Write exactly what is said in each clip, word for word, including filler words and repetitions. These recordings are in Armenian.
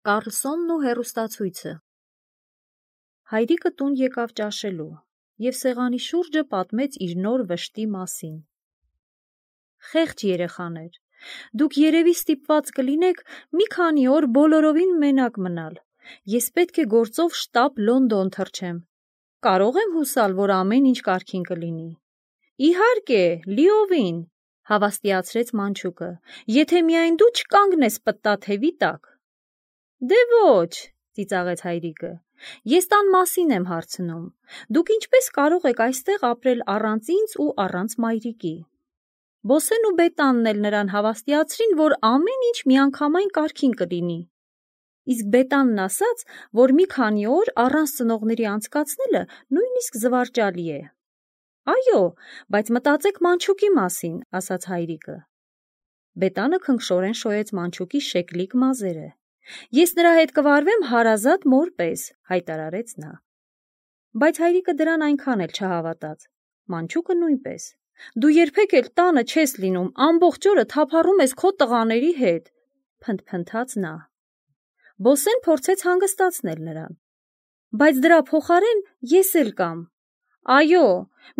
Կառլսոնն ու հեռուստացույցը։ Հայրիկը տուն եկավ ճաշելու և սեղանի շուրջը պատմեց իր նոր վշտի մասին։ Խեղճ երեխաներ, դուք երևի ստիպված կլինեք մի քանի օր բոլորովին մենակ մնալ։ Ես պետք է գործով շտապ Լոնդոն թռչեմ։ Կարող եմ հուսալ, որ ամեն ինչ կարգին կլինի։ Իհարկե, լիովին, հավաստիացրեց մանչուկը, եթե միայն դու չկանգնես պտտաթևի տակ։ Դե ոչ, ծիծաղեց հայրիկը, ես տան մասին եմ հարցնում։ Դուք ինչպես կարող եք այստեղ ապրել առանց ինձ ու առանց մայրիկի։ Բոսեն ու Բետանն էլ նրան հավաստիացրին, որ ամեն ինչ միանգամայն կարգին կլինի։ Իսկ Բետանն ասաց, որ մի քանի օր առանց ծնողների անցկացնելը նույնիսկ զվարճալի է։ Այո, բայց մտածեք մանչուկի մասին, ասաց հայրիկը։ Բետանը քնքշորեն շոյեց մանչուկի շեկլիկ մազերը։ Ես նրա հետ կվարվեմ հարազատ մոր պես, հայտարարեց նա։ Բայց հայրիկը դրան այնքան էլ չհավատաց։ Մանչուկը նույնպես։ Դու երբեք էլ տանը չես լինում, ամբողջ օրը թափառում ես քո տղաների հետ, փնթփնթաց նա։ Բոսեն փորձեց հանգստացնել նրան։ Բայց դրա փոխարեն ես էլ կամ։ Այո,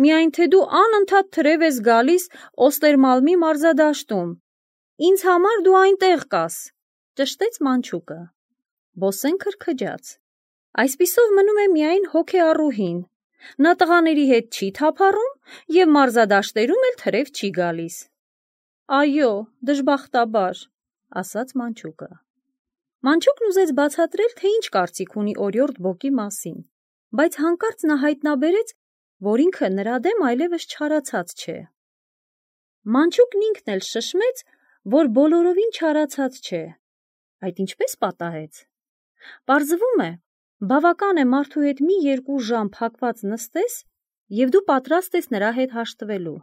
միայն թե դու անընդհատ թրև ես գալիս Օստերմալմի մարզադաշտում։ Ինձ համար դու այնտեղ կաս, ճշտեց մանչուկը։ Բոսեն քրքջաց։ Այսպիսով մնում է միայն հոգեառուհին։ Նա տղաների հետ չի թափառում և մարզադաշտերում էլ թրև չի գալիս։ Այո, դժբախտաբար, ասաց մանչուկը։ Մանչուկն ուզեց բացատրել, թե ինչ կարծիք ունի օրիորդ Բոկի մասին, բայց հանկարծ նա հայտնաբերեց, որ ինքը նրա դեմ այլևս չարացած չէ։ Մանչուկն ինքն էլ շշմեց, որ բոլորովին չարացած չէ։ Այդ ինչպես պատահեց։ Պարզվում է, բավական է մարդու հետ մի երկու ժամ փակված նստես, և դու պատրաստ ես նրա հետ հաշտվելու։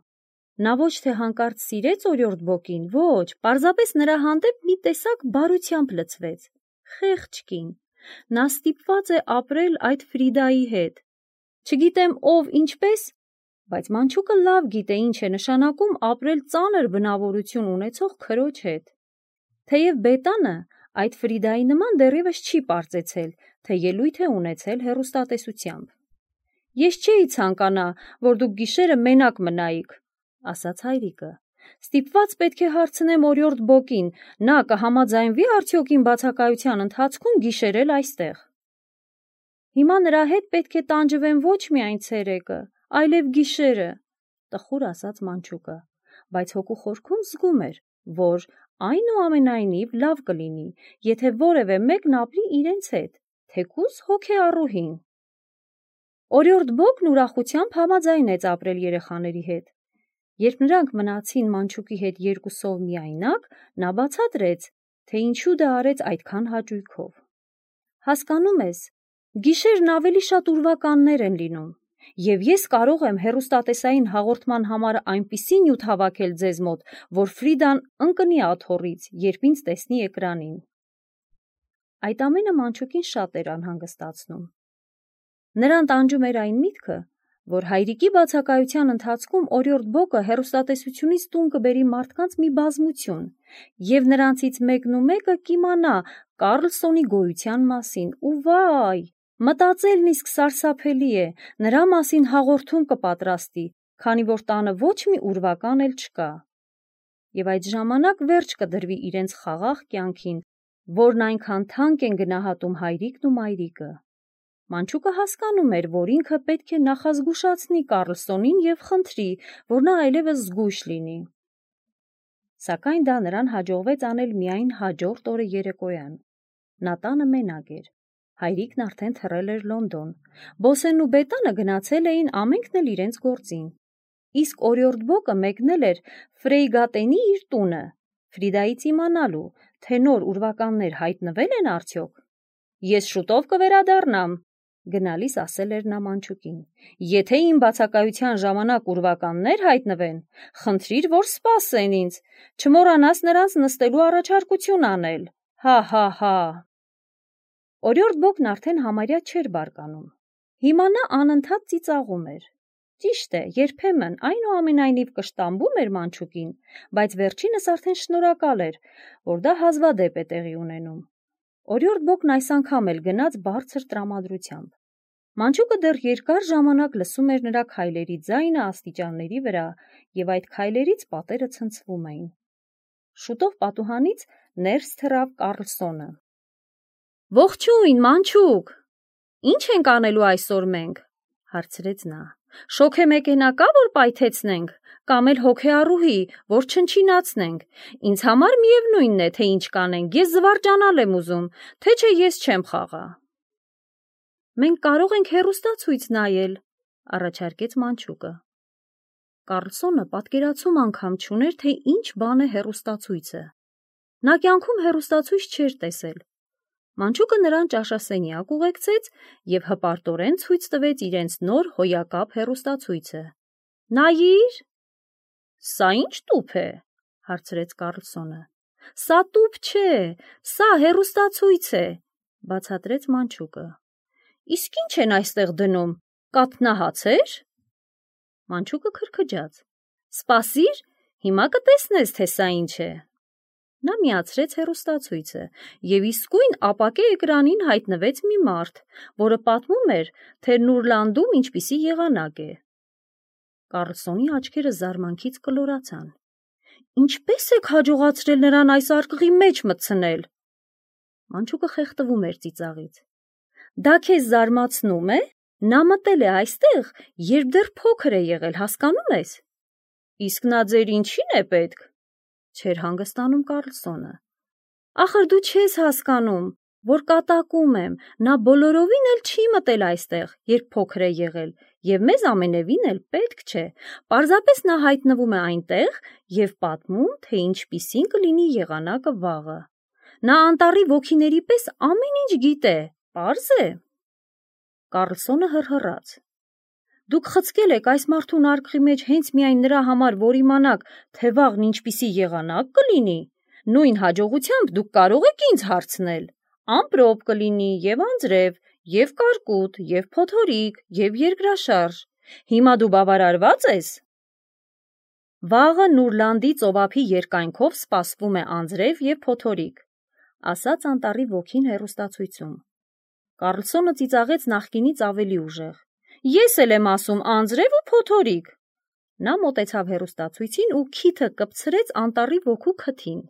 Նա ոչ թե հանկարծ սիրեց օրիորդ Բոկին, ոչ, պարզապես նրա հանդեպ մի տեսակ բարությամբ լցվեց։ Խեղճ կին։ Նա ստիպված է ապրել այդ Ֆրիդայի հետ։ Չգիտեմ ով ինչպես, բայց մանչուկը լավ գիտե ինչ է նշանակում ապրել ծանր բնավորություն ունեցող քրոջ հետ։ Թեև Բետանը այդ Ֆրիդայի նման դեռևս չի պարծեցել, թե ելույթ է ունեցել հեռուստատեսությամբ։ Ես չէի ցանկանա, որ դուք գիշերը մենակ մնայիք, ասաց հայրիկը։ Ստիպված պետք է հարցնեմ օրիորդ Բոկին, նա կհամաձայնվի արդյոք իմ բացակայության ընթացքում գիշերել այստեղ։ Հիմա նրա հետ պետք է տանջվեմ ոչ միայն ցերեկը, այլև գիշերը, տխուր ասաց մանչուկը, բայց հոգու խորքում զգում էր, որ այնուամենայնիվ լավ կլինի, եթե որևէ մեկն ապրի իրենց հետ, թեկուզ հոգեառուհին։ Օրիորդ Բոկն ուրախությամբ համաձայնեց ապրել երեխաների հետ։ Երբ նրանք մնացին մանչուկի հետ երկուսով միայնակ, նա բացատրեց, թե ինչու դա արեց այդքան հաճույքով։ Հասկանում ես, գիշերն ավելի շատ ուրվականներ են լինում, և ես կարող եմ հեռուստատեսային հաղորդման համար այնպիսի նյութ հավաքել ձեզ մոտ, որ Ֆրիդան ընկնի աթոռից, երբ ինձ տեսնի էկրանին։ Այդ ամենը մանչուկին շատ էր անհանգստացնում։ Նրան տանջում էր այն միտքը, որ հայրիկի բացակայության ընթացքում օրիորդ Բոկը հեռուստատեսությունից տուն կբերի մարդկանց մի բազմություն, և նրանցից մեկն ու մեկը կիմանա Կառլսոնի գոյության մասին, ու վայ, մտածելն իսկ սարսափելի է, նրա մասին հաղորդում կպատրաստի, քանի որ տանը ոչ մի ուրվական էլ չկա։ Եվ այդ ժամանակ վերջ կդրվի իրենց խաղաղ կյանքին, որն այնքան թանկ են գնահատում հայրիկն ու մայրիկը։ Մանչուկը հասկանում էր, որ ինքը պետք է նախազգուշացնի Կառլսոնին և խնդրի, որ նա այլևս զգույշ լինի։ Սակայն դա նրան հաջողվեց անել միայն հաջորդ օրը երեկոյան։ Նա տանը մենակ էր։ Հայրիկն արդեն թռել էր Լոնդոն։ Բոսենն ու Բետանը գնացել էին ամենքն էլ իրենց գործին։ Իսկ օրիորդ Բոկը մեկնել էր Ֆրեյգատենի իր տունը, Ֆրիդայից իմանալու, թե նոր ուրվականներ հայտնվել են արդյոք։ Ես շուտով կվերադառնամ, գնալիս ասել էր նա մանչուկին։ Եթե իմ բացակայության ժամանակ ուրվականներ հայտնվեն, խնդրիր, որ սպասեն ինձ, չմոռանաս նրանց նստելու առաջարկություն անել։ Հա, հա, հա։ Օրիորդ Բոկն արդեն համարյա չէր բարկանում։ Հիմա նա անընդհատ ծիծաղում էր։ Ճիշտ է, երբեմն այնուամենայնիվ կշտամբում էր մանչուկին, բայց վերջինս արդեն շնորհակալ էր, որ դա հազվադեպ է տեղի ունենում։ Օրիորդ Բոկն այս անգամ էլ գնաց բարձր տրամադրությամբ։ Մանչուկը դեռ երկար ժամանակ լսում էր նրա քայլերի ձայնը աստիճանների վրա, եւ այդ քայլերից պատերը ցնցվում էին։ Շուտով պատուհանից ներս թռավ Կառլսոնը։ «Ողջույն, Մանչուկ, ի՞նչ ենք անելու այսօր մենք», հարցրեց նա։ «Շոգե մեկենա կա, որ պայթեցնենք, կամ էլ հոգեառուհի, որ չնչինացնենք։ Ինձ համար միևնույնն է, թե ինչ կանենք, ես զվարճանալ եմ ուզում, թե չէ ես չեմ խաղա»։ «Մենք կարող ենք հեռուստացույց նայել», առաջարկեց Մանչուկը։ Կառլսոնը պատկերացում անգամ չուներ, թե ինչ բան է հեռուստացույցը։ Նա կյանքում հեռուստացույց չէր տեսել։ Մանչուկը նրան ճաշասենյակ ուղեկցեց և հպարտորեն ցույց տվեց իրենց նոր հոյակապ հեռուստացույցը։ «Նայիր»։ «Սա ի՞նչ տուփ է», հարցրեց Կառլսոնը։ «Սա տուփ չէ, սա հեռուստացույց է», բացատրեց Մանչուկը։ «Իսկ ի՞նչ են այստեղ դնում, կաթնահա՞ցեր»։ Մանչուկը քրքջաց։ «Սպասիր, հիմա կտեսնես, թե սա ինչ է»։ Նա միացրեց հեռուստացույցը, և իսկույն ապակե էկրանին հայտնվեց մի մարդ, որը պատմում էր, թե Նուրլանդում ինչպիսի եղանակ է։ Կառլսոնի աչքերը զարմանքից կլորացան։ «Ինչպե՞ս եք հաջողացրել նրան այս արկղի մեջ մտցնել»։ Մանչուկը խեղդվում էր ծիծաղից։ «Դա քեզ զարմացնում է։ Նա մտել է այստեղ, երբ դեռ փոքր է եղել, հասկանում ես»։ «Իսկ նա ձեր ինչի՞ն է պետք», չէր հանգստանում Կառլսոնը։ «Ախր դու չես հասկանում, որ կատակում եմ, նա բոլորովին էլ չի մտել այստեղ, երբ փոքր է եղել, և մեզ ամենևին էլ պետք չէ։ Պարզապես նա հայտնվում է այնտեղ և պատմում, թե ինչպիսին կլինի եղանակը վաղը։ Նա անտառի ոգիների պես ամեն ինչ գիտե, պարզ է»։ Կառլսոնը հռհռաց։ «Դուք խցկել եք այս մարդուն արկղի մեջ հենց միայն նրա համար, որ իմանաք, թե վաղն ինչպիսի եղանակ կլինի։ Նույն հաջողությամբ դուք կարող եք ինձ հարցնել. ամպրոպ կլինի, և անձրև, և կարկուտ, և փոթորիկ, և երկրաշարժ։ Հիմա դու բավարարվա՞ծ ես»։ «Վաղը Նուրլանդի ծովափի երկայնքով սպասվում է անձրև և փոթորիկ», ասաց անտառի ոգին հեռուստացույցում։ Կառլսոնը ծիծաղեց նախկինից ավելի ուժեղ։ «Ես էլ եմ ասում անձրև ու փոթորիկ»։ Նա մոտեցավ հեռուստացույցին ու քիթը կպցրեց անտառի ոգու քթին։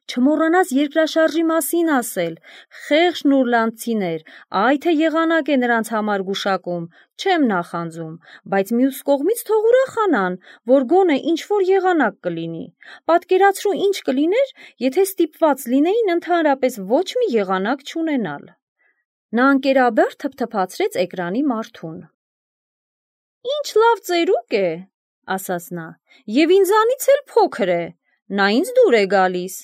«Չմոռանաս երկրաշարժի մասին ասել, խեղճ նուրլանդցիներ, այ թե եղանակ է նրանց համար գուշակում, չեմ նախանձում, բայց մյուս կողմից թող ուրախանան, որ գոնե ինչ-որ եղանակ կլինի։ Պատկերացրու ինչ կլիներ, եթե ստիպված լինեին ընդհանրապես ոչ մի եղանակ չունենալ»։ Նա ընկերաբար թփթփացրեց էկրանի մարդուն։ «Ինչ լավ ծերուկ է», ասաց նա, «և ինձանից էլ փոքր է, նա ինձ դուր է գալիս»։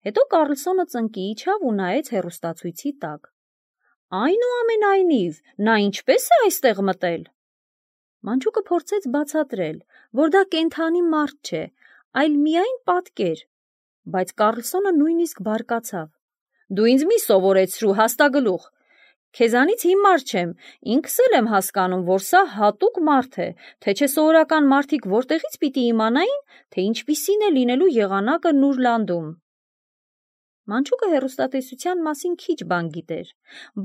Հետո Կառլսոնը ծնկի իջավ ու նայեց հեռուստացույցի տակ։ «Այնուամենայնիվ, նա ինչպե՞ս է այստեղ մտել»։ Մանչուկը փորձեց բացատրել, որ դա կենդանի մարդ չէ, այլ միայն պատկեր, բայց Կառլսոնը նույնիսկ բարկացավ։ «Դու ինձ մի սովորեցրու, հաստագլուխ։ Քեզանից հիմար չեմ, ինքս էլ եմ հասկանում, որ սա հատուկ մարդ է, թե չէ սովորական մարդիկ որտեղից պիտի իմանային, թե ինչպիսին է լինելու եղանակը Նուրլանդում»։ Մանչուկը հեռուստատեսության մասին քիչ բան գիտեր,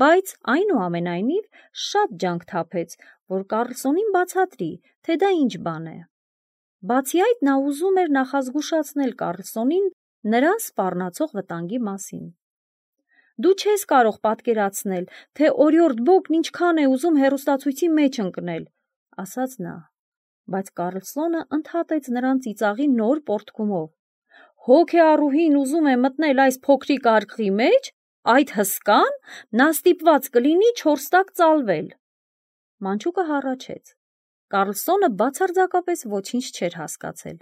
բայց այնուամենայնիվ շատ ջանք թափեց, որ Կառլսոնին բացատրի, թե դա ինչ բան է։ Բացի այդ, նա ուզում էր նախազգուշացնել Կառլսոնին նրան սպառնացող վտանգի մասին։ «Դու չես կարող պատկերացնել, թե օրիորդ Բոկն ինչքան է ուզում հեռուստացույցի մեջ ընկնել», ասաց նա, բայց Կառլսոնը ընդհատեց նրան ծիծաղի նոր պոռթկումով։ «Հոգեառուհին ուզում է մտնել այս փոքրիկ արկղի մեջ, այդ հսկան, նա ստիպված կլինի չորս տակ ծալվել»։ Մանչուկը հառաչեց։ Կառլսոնը բացարձակապես ոչինչ չէր հասկացել։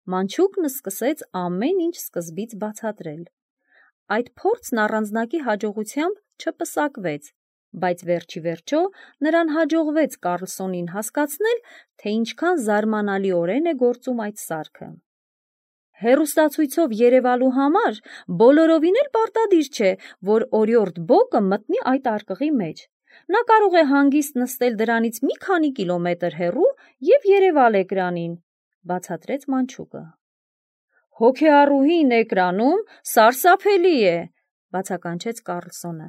Մանչուկն սկսեց ամեն ինչ սկզբից բացատրել։ Այդ փորձն առանձնակի հաջողությամբ չպսակվեց, բայց վերջիվերջո նրան հաջողվեց Կառլսոնին հասկացնել, թե ինչքան զարմանալիորեն է գործում այդ սարքը։ Հեռուստացույցով երևալու համար բոլորովին էլ պարտադիր չէ, որ օրիորդ Բոկը մտնի այդ արկղի մեջ։ Նա կարող է հանգիստ նստել դրանից մի քանի կիլոմետր հեռու և երևալ էկրանին, բացատրեց Մանչուկը։ «Հոգեառուհին էկրանում սարսափելի է», բացականչեց Կարլսոնը,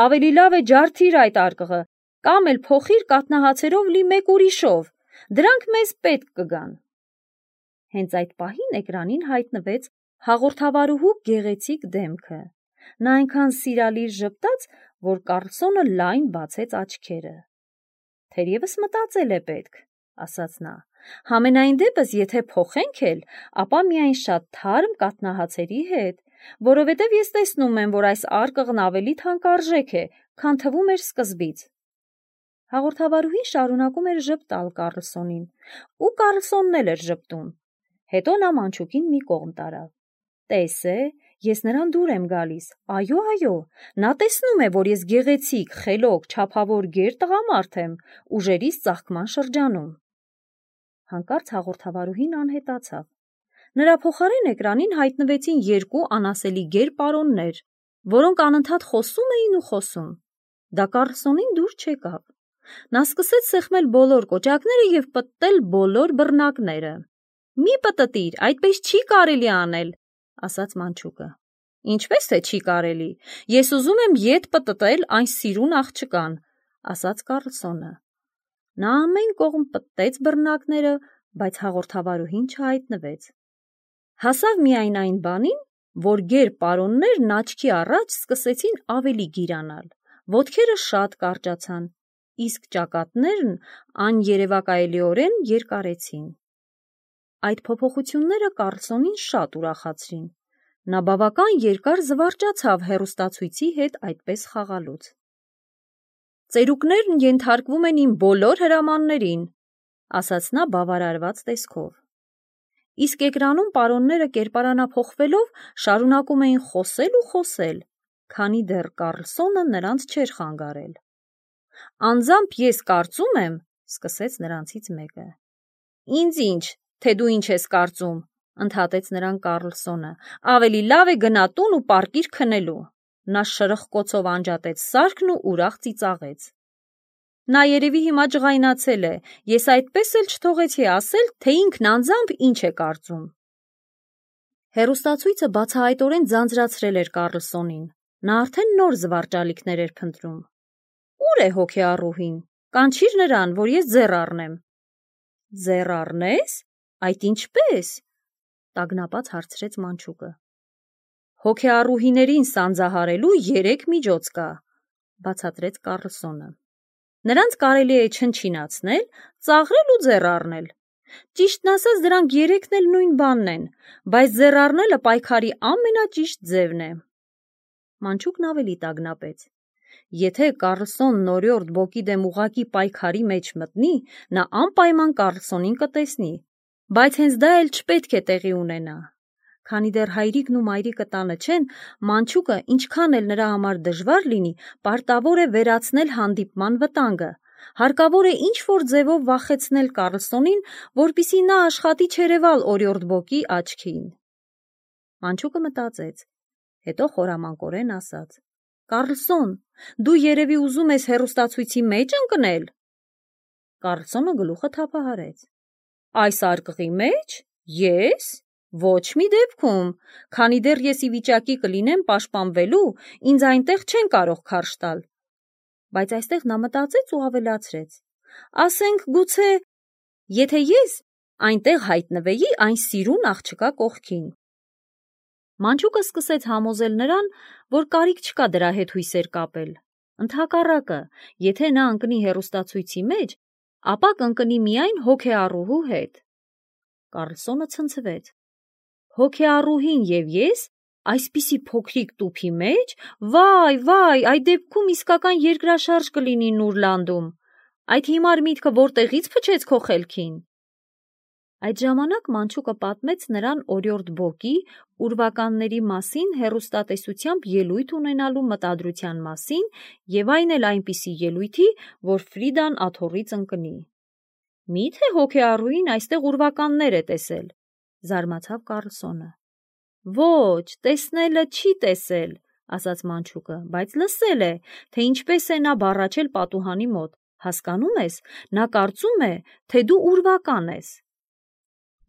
ավելի լավ է ջարդիր այդ արկղը, կամ էլ փոխիր կաթնահացերով լի մեկ ուրիշով, դրանք մեզ պետք կգան։ Հենց այդ պահին էկրանին հայտնվեց հաղորդավարուհու գեղեցիկ դեմքը, նա այնքան սիրալիր ժպտաց, որ Կարլսոնը լայն բացեց աչքերը։ Թերևս մտածել է պետք, ասաց նա, համենայն դեպս եթե փոխենք էլ, ապա միայն շատ թարմ կաթնահացերի հետ, որովհետև ես տեսնում եմ, որ այս արկղն ավելի թանկարժեք է, քան թվում էր սկզբից։ Հաղորդավարուհին շարունակում էր ժպտալ Կարլսոնին, ու Կարլսոնն էլ էր ժպտում։ Հետո նա մանչուկին մի կողմ տարավ։ Տես է, ես նրան դուր եմ գալիս, այո, այո, նա տեսնում է, որ ես գեղեցիկ, խելոք, չափավոր գեր տղամարդ եմ, ուժերիս ծաղկման շրջանում։ Հանկարծ հաղորդավարուհին անհետացավ։ Նրա փոխարեն էկրանին հայտնվեցին երկու անասելի գեր պարոններ, որոնք անընդհատ խոսում էին ու խոսում։ Դա Կարլսոնին դուր չեկավ։ Նա սկսեց սեղմել բոլոր կոճակները և պտտել բոլոր բռնակները։ Մի պտտիր, այդպես չի կարելի անել, ասաց մանչուկը։ Ինչպես թե չի կարելի, ես ուզում եմ ետ պտտել այն սիրուն աղջկան, ասաց Կարլսոնը։ Նա ամեն կողմ պտտեց բռնակները, բայց հաղորդավարուհին չհայտնվեց։ Հասավ միայն այն բանին, որ գեր պարոններն աչքի առաջ սկսեցին ավելի գիրանալ, ոտքերը շատ կարճացան, իսկ ճակատներն աներևակայելիորեն երկարեցին։ Այդ փոփոխությունները Կարլսոնին շատ ուրախացրին։ Նա բավական երկար զվարճացավ հեռուստացույցի հետ այդպես խաղալուց։ Ծերուկներն ենթարկվում են իմ բոլոր հրամաններին, ասաց նա բավարարված տեսքով։ Իսկ էկրանում պարոնները կերպարանափոխվելով շարունակում էին խոսել ու խոսել, քանի դեռ Կարլսոնը նրանց չէր խանգարել։ Անձամբ ես կարծում եմ, սկսեց նրանցից մեկը։ Ինձ ինչ, թե դու ինչ ես կարծում, ընդհատեց նրան Կարլսոնը, ավելի լավ է գնա տուն ու պառկիր քնելու։ Նա շրխկոցով անջատեց սարքն ու ուրախ ծիծաղեց։ Նա երևի հիմա ջղայնացել է, ես այդպես էլ չթողեցի ասել, թե ինքն անձամբ ինչ է կարծում։ Հեռուստացույցը բացահայտորեն ձանձրացրել էր Կարլսոնին, նա արդեն նոր զվարճալիքներ էր փնտրում։ Ո՞ւր է հոգեառուհին, կանչիր նրան, որ ես ձեռ առնեմ։ Ձեռ առնես, այդ ինչպես, տագնապած հարցրեց մանչուկը։ Հոգեառուհիներին սանձահարելու երեք միջոց կա, բացատրեց Կարլսոնը։ Նրանց կարելի է չնչինացնել, ծաղրել ու ձեռ առնել։ Ճիշտն ասած, դրանք երեքն էլ նույն բանն են, բայց ձեռ առնելը պայքարի ամենաճիշտ ձևն է։ Մանչուկն ավելի տագնապեց։ Եթե Կարլսոնն օրիորդ բոկի դեմ ուղղակի պայքարի մեջ մտնի, նա անպայման Կարլսոնին կտեսնի, բայց հենց դա էլ չպետք է տեղի ունենա։ Քանի դեռ հայրիկն ու մայրիկը տանը չեն, մանչուկը, ինչքան էլ նրա համար դժվար լինի, պարտավոր է վերացնել հանդիպման վտանգը։ Հարկավոր է ինչ-որ ձևով վախեցնել Կարլսոնին, որպեսզի նա աշխատի չերևալ օրիորդ բոկի աչքին։ Մանչուկը մտածեց, հետո խորամանկորեն ասաց. Կարլսոն, դու երևի ուզում ես հեռուստացույցի մեջ ընկնել։ Կարլսոնը գլուխը թափահարեց։ Այս արկղի մեջ։ Ես։ Ոչ մի դեպքում, քանի դեռ ես ի վիճակի կլինեմ պաշտպանվելու, ինձ այնտեղ չեն կարող քարշ տալ։ Բայց այստեղ նա մտածեց ու ավելացրեց. ասենք գուցե, եթե ես այնտեղ հայտնվեի այն սիրուն աղջկա կողքին։ Մանչուկը սկսեց համոզել նրան, որ կարիք չկա դրա հետ հույսեր կապել։ Ընդհակառակը, եթե նա ընկնի հեռուստացույցի մեջ, ապա կընկնի միայն հոգեառուհու հետ։ Կարլսոնը ցնցվեց։ Հոգեառուհին և ես այսպիսի փոքրիկ տուփի մեջ, վայ, վայ, այդ դեպքում իսկական երկրաշարժ կլինի Նուրլանդում։ Այդ հիմար միտքը որտեղից փչեց քո խելքին։ Այդ ժամանակ մանչուկը պատմեց նրան օրիորդ բոկի ուրվականների մասին հեռուստատեսությամբ ելույթ ունենալու մտադրության մասին և այն էլ այնպիսի ելույթի, որ Ֆրիդան աթոռից ընկնի։ Մի՞թե հոգեառուհին այստեղ ուրվականներ է տեսել, զարմացավ Կարլսոնը։ Ոչ, տեսնելը չի տեսել, ասաց մանչուկը, բայց լսել է, թե ինչպես է նա բառաչել պատուհանի մոտ, հասկանում ես, նա կարծում է, թե դու ուրվական ես։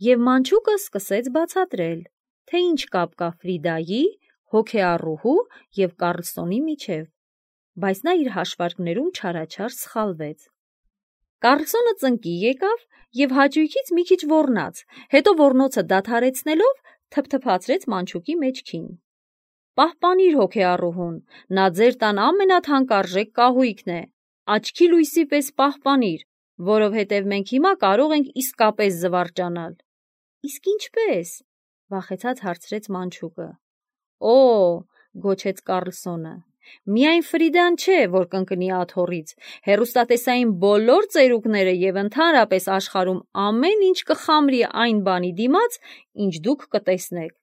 Եվ մանչուկը սկսեց բացատրել, թե ինչ կապ կա Ֆրիդայի, հոգեառուհու և Կառլսոնի միջև, բայց նա իր հաշվարկներում չարաչար սխալվեց։ Կառլսոնը ծնկի եկավ և հաճույքից մի քիչ ոռնաց, հետո ոռնոցը դադարեցնելով թփթփացրեց մանչուկի մեջքին։ «Պահպանիր հոգեառուհուն, նա ձեր տան ամենաթանկարժեք կահույքն է, աչքի լույսի պես պահպանիր, որովհետև մենք հիմա կարող ենք իսկապես զվարճանալ»։ «Իսկ ինչպե՞ս», վախեցած հարցրեց մանչուկը։ «Օ՜», գոչեց Կառլսոնը, «միայն Ֆրիդան չէ, որ կընկնի աթոռից, հեռուստատեսային բոլոր ծերուկները և ընդհանրապես աշխարհում ամեն ինչ կխամրի այն բանի դիմաց, ինչ դուք կտեսնեք»։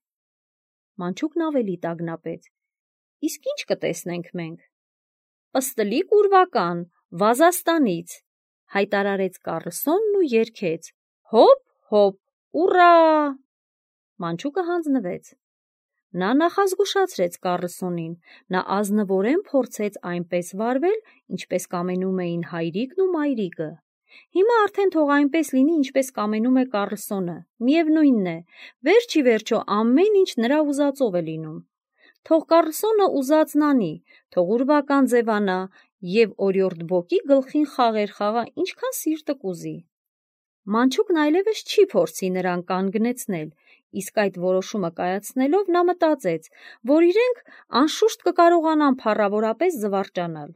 Մանչուկն ավելի տագնապեց։ «Իսկ ի՞նչ կտեսնենք մենք»։ «Պստլիկ ուրվական, Վազաստանից», հայտարարեց Կառլսոնն ու երգեց. «Հոպ, հոպ, ուռա»։ Մանչուկը հանձնվեց։ Նա նախազգուշացրեց Կառլսոնին, նա ազնվորեն փորձեց այնպես վարվել, ինչպես կամենում էին հայրիկն ու մայրիկը։ Հիմա արդեն թող այնպես լինի, ինչպես կամենում է Կառլսոնը, միևնույնն է, վերջ ի վերջո ամեն ինչ նրա ուզածով է լինում։ Թող Կառլսոնը ուզածն անի, թող ուրվական ձևանա և օրիորդ Բոկի գլխին խաղեր խաղա, ինչքան սիրտը կուզի։ Մանչուկն այլևս չի փորձի նրան կանգնեցնել, իսկ այդ որոշումը կայացնելով նա մտածեց, որ իրենք անշուշտ կկարողանան փառավորապես զվարճանալ։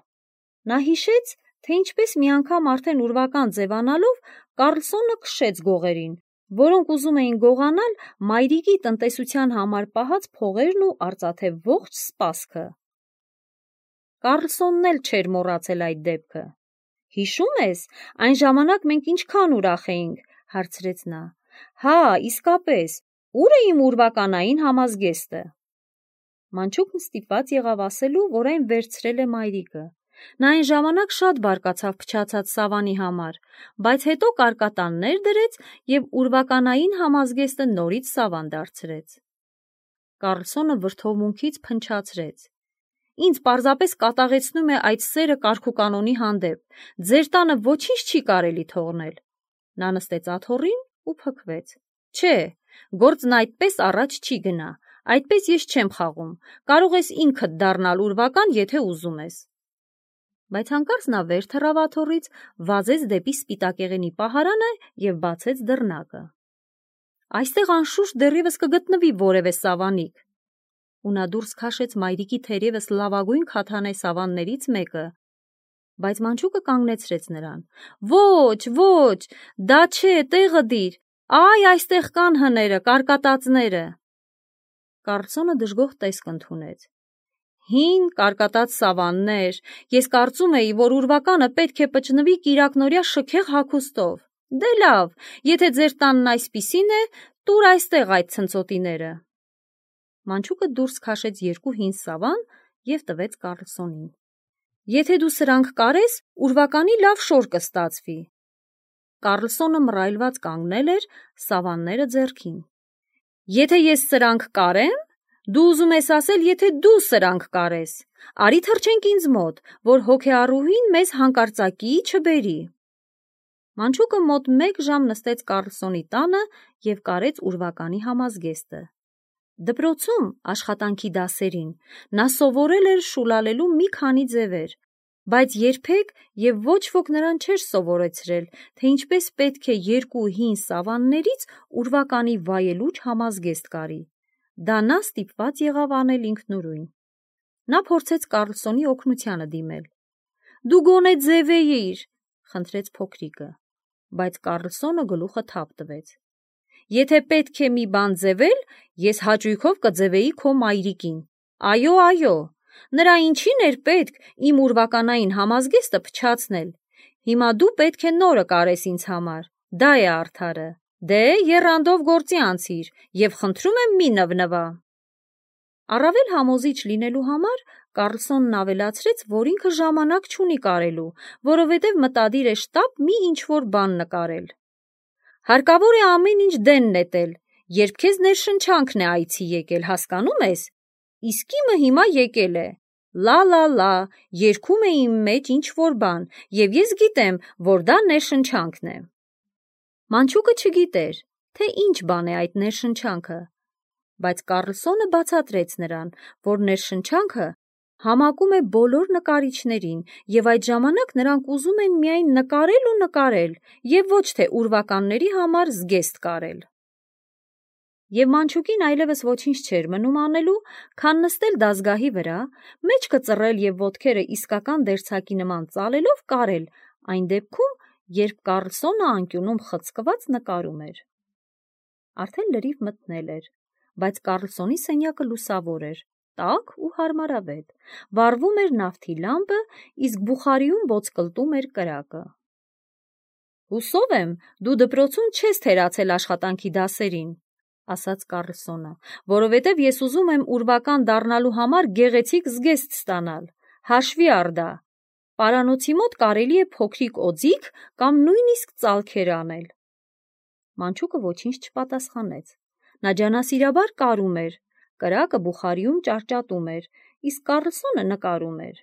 Նա հիշեց, թե ինչպես մի անգամ արդեն ուրվական ձևանալով Կառլսոնը քշեց գողերին, որոնք ուզում էին գողանալ մայրիկի տնտեսության համար պահած փողերն ու արծաթե ողջ սպասքը։ Կառլսոնն էլ չէր մոռացել այդ դեպքը։ «Հիշում ես, այն ժամանակ մենք ինչքան ուրախ էինք», հարցրեց նա։ «Հա, իսկապես, ո՞ւր է իմ ուրվականային համազգեստը»։ Մանչուկն ստիպված եղավ ասելու, որ այն վերցրել է մայրիկը։ Նա այն ժամանակ շատ բարկացավ փչացած սավանի համար, բայց հետո կարկատաններ դրեց և ուրվականային համազգեստը նորից սավան դարձրեց։ Կառլսոնը վրդովմունքից փնչացրեց։ «Ինձ պարզապես կատաղեցնում է այդ սերը կարգուկանոնի հանդեպ, ձեր տանը ոչինչ չի կարելի թողնել»։ Նա նստեց աթոռին ու փքվեց։ «Չէ, գործն այդպես առաջ չի գնա, այդպես ես չեմ խաղում, կարող ես ինքդ դառնալ ուրվական, եթե ուզում ես»։ Բայց հանկարծ նա վեր թռավ աթոռից, վազեց դեպի սպիտակեղենի պահարանը և բացեց դռնակը։ «Այստեղ անշուշտ դեռևս կգտնվի որևէ սավանիկ»։ Ու նա դուրս քաշեց մայրիկի թերևս լավագույն քաթանե սավաններից մեկը, բայց մանչուկը կանգնեցրեց նրան։ «Ոչ, ոչ, դա չէ, տեղը դիր, այ այստեղ կան հները, կարկատածները»։ Կառլսոնը դժգոհ տեսք ընդունեց։ «Հին, կարկատած սավաններ, ես կարծում էի, որ ուրվականը պետք է պճնվի կիրակնօրյա շքեղ հագուստով։ Դե լավ, եթե ձեր տանն այսպիսին է, տուր այստեղ այդ ցնցոտիները»։ Մանչուկը դուրս քաշեց երկու հին սավան և տվեց Կառլսոնին։ «Եթե դու սրանք կարես, ուրվականի լավ շոր կստացվի»։ Կառլսոնը մռայլված կանգնել էր, սավանները ձեռքին։ «Եթե ես սրանք կարեմ, դու ուզում ես ասել, եթե դու սրանք կարես, արի թռչենք ինձ մոտ, որ հոգեառուհին մեզ հանկարծակիի չբերի»։ Մանչուկը մոտ մեկ ժամ նստեց Կառլսոնի տանը և կարեց ուրվականի համազգեստը։ Դպրոցում աշխատանքի դասերին նա սովորել էր շուլալելու մի քանի ձևեր, բայց երբեք և ոչ ոք նրան չէր սովորեցրել, թե ինչպես պետք է երկու հին սավաններից ուրվականի վայելուչ համազգեստ կարի։ Դա նա ստիպված եղավ անել ինքնուրույն։ Նա փորձեց Կառլսոնի օգնությանը դիմել։ «Դու գոնե ձևեիր», խնդրեց փոքրիկը, բայց Կառլսոնը գլուխը թափ տվեց։ «Եթե պետք է մի բան ձևել, ես հաճույքով կձևեի քո մայրիկին։ Այո, այո, նրա ինչին էր պետք իմ ուրվականային համազգեստը փչացնել։ Հիմա դու պետք է նորը կարես ինձ համար, դա է արդարը։ Դե, եռանդով գործի անցիր և խնդրում եմ մի նվնվա»։ Առավել համոզիչ լինելու համար Կառլսոնն ավելացրեց, որ ինքը ժամանակ չունի կարելու, որովհետև մտադիր է շտապ մի ինչ-որ բան նկարել։ «Հարկավոր է ամեն ինչ դեն նետել, երբ քեզ ներշնչանքն է այցի եկել, հասկանում ես։ Իսկ իմը հիմա եկել է։ Լա-լա-լա, երգում է իմ մեջ ինչ-որ բան, և ես գիտեմ, որ դա ներշնչանքն է»։ Մանչուկը չգիտեր, թե ինչ բան է այդ ներշնչանքը, Բայց Կառլսոնը բացատրեց նրան, որ ներշնչանքը համակում է բոլոր նկարիչներին և այդ ժամանակ նրանք ուզում են միայն նկարել ու նկարել և ոչ թե ուրվականների համար զգեստ կարել։ Եվ Մանչուկին այլևս ոչինչ չէր մնում անելու, քան նստել դազգահի վրա, մեջքը ծռել և ոտքերը իսկական դերձակի նման ծալելով կարել, այն դեպքում, երբ Կառլսոնը անկյունում խցկված նկարում էր։ Արդեն լրիվ մթնել էր, բայց Կառլսոնի սենյակը լուսավոր էր, տաք ու հարմարավետ, վառվում էր նավթի լամպը, իսկ բուխարիում ոսկլտում էր կրակը։ «Հուսով եմ, դու դպրոցում չես թերացել աշխատանքի դասերին», ասաց Կառլսոնը, որովհետև ես ուզում եմ ուրվական դառնալու համար գեղեցիկ զգեստ ստանալ, հաշվի առ դա, պարանոցի մոտ կարելի է փոքրիկ օձիք կամ նույնիսկ ծալքեր անել։ Մանչուկը ոչինչ չպատասխանեց, նա ջանասիրաբար կարում էր, կրակը բուխարիում ճարճատում էր, իսկ Կառլսոնը նկարում էր։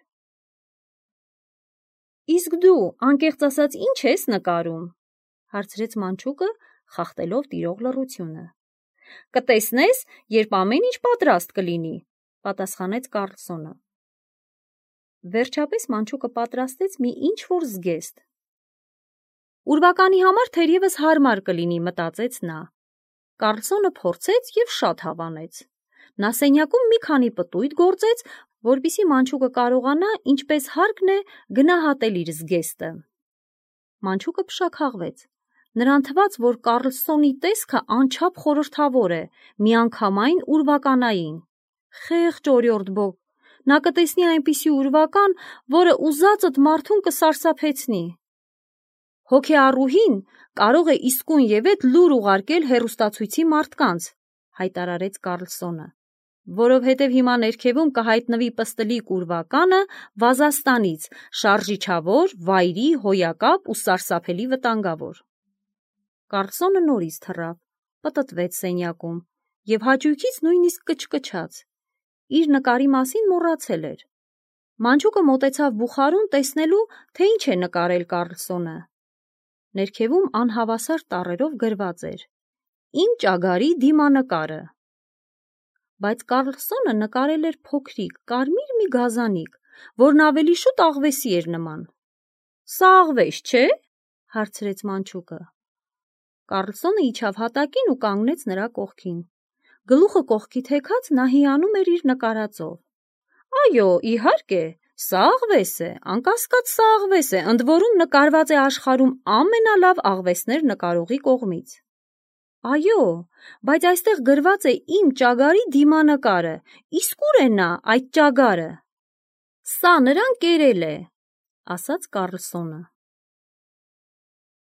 «Իսկ դու, անկեղծ ասած, ինչ ես նկարում», հարցրեց Մանչուկը, խախտելով տիրող լռությունը։ «Կտեսնես, երբ ամեն ինչ պատրաստ կլինի», պատասխանեց Կառլսոնը։ Վերջապես Մանչուկը պատրաստեց մի ինչ-որ զգեստ։ Ուրվականի համար թերևս հարմար կլինի, մտածեց նա։ Կառլսոնը փորձեց և շատ հավանեց։ Նա սենյակում մի քանի պտույտ գործեց, որպեսզի Մանչուկը կարողանա, ինչպես հարկն է, գնահատել իր զգեստը։ Մանչուկը փշաքաղվեց։ Նրան թվաց, որ Կառլսոնի տեսքը անչափ խորհրդավոր է, միանգամայն ուրվականային։ Խեղճ օրիորդ Բոգ, նա կտեսնի այնպիսի ուրվական, որը ուզածդ մարդուն կսարսափեցնի։ Հոգեառուհին կարող է իսկույնևեթ լուր ուղարկել հեռուստացույցի մարդկանց, հայտարարեց Կառլսոնը, որովհետև հիմա ներքևում կհայտնվի պստլիկ ուրվականը Վազաստանից, շարժիչավոր, վայրի, հոյակապ ու սարսափելի վտանգավոր։ Կառլսոնը նորից թռավ, պտտվեց սենյակում և հաճույքից նույնիսկ կչկչաց։ Իր նկարի մասին մոռացել էր։ Մանչուկը մոտեցավ բուխարուն տեսնելու, թե ինչ է նկարել Կառլսոնը։ Ներքևում անհավասար տառերով գրված էր. «Իմ ճագարի դիմանկարը»։ Բայց Կառլսոնը նկարել էր փոքրիկ, կարմիր մի գազանիկ, որն ավելի շուտ աղվեսի էր նման։ «Սա աղվես չէ՞», հարցրեց Մանչուկը։ Կառլսոնը իջավ հատակին ու կանգնեց նրա կողքին։ Գլուխը կողքի թեքած նա հիանում էր իր նկարածով։ «Այո, իհարկե, սա աղվես է, անկասկած սա աղվես է, ընդ որում նկարված է աշխարհում ամենալավ աղվեսներ նկարողի կողմից»։ «Այո, բայց այստեղ գրված է իմ ճագարի դիմանկարը, իսկ ուր է նա, այդ ճագարը»։ «Սա նրան կերել է», ասաց Կառլսոնը։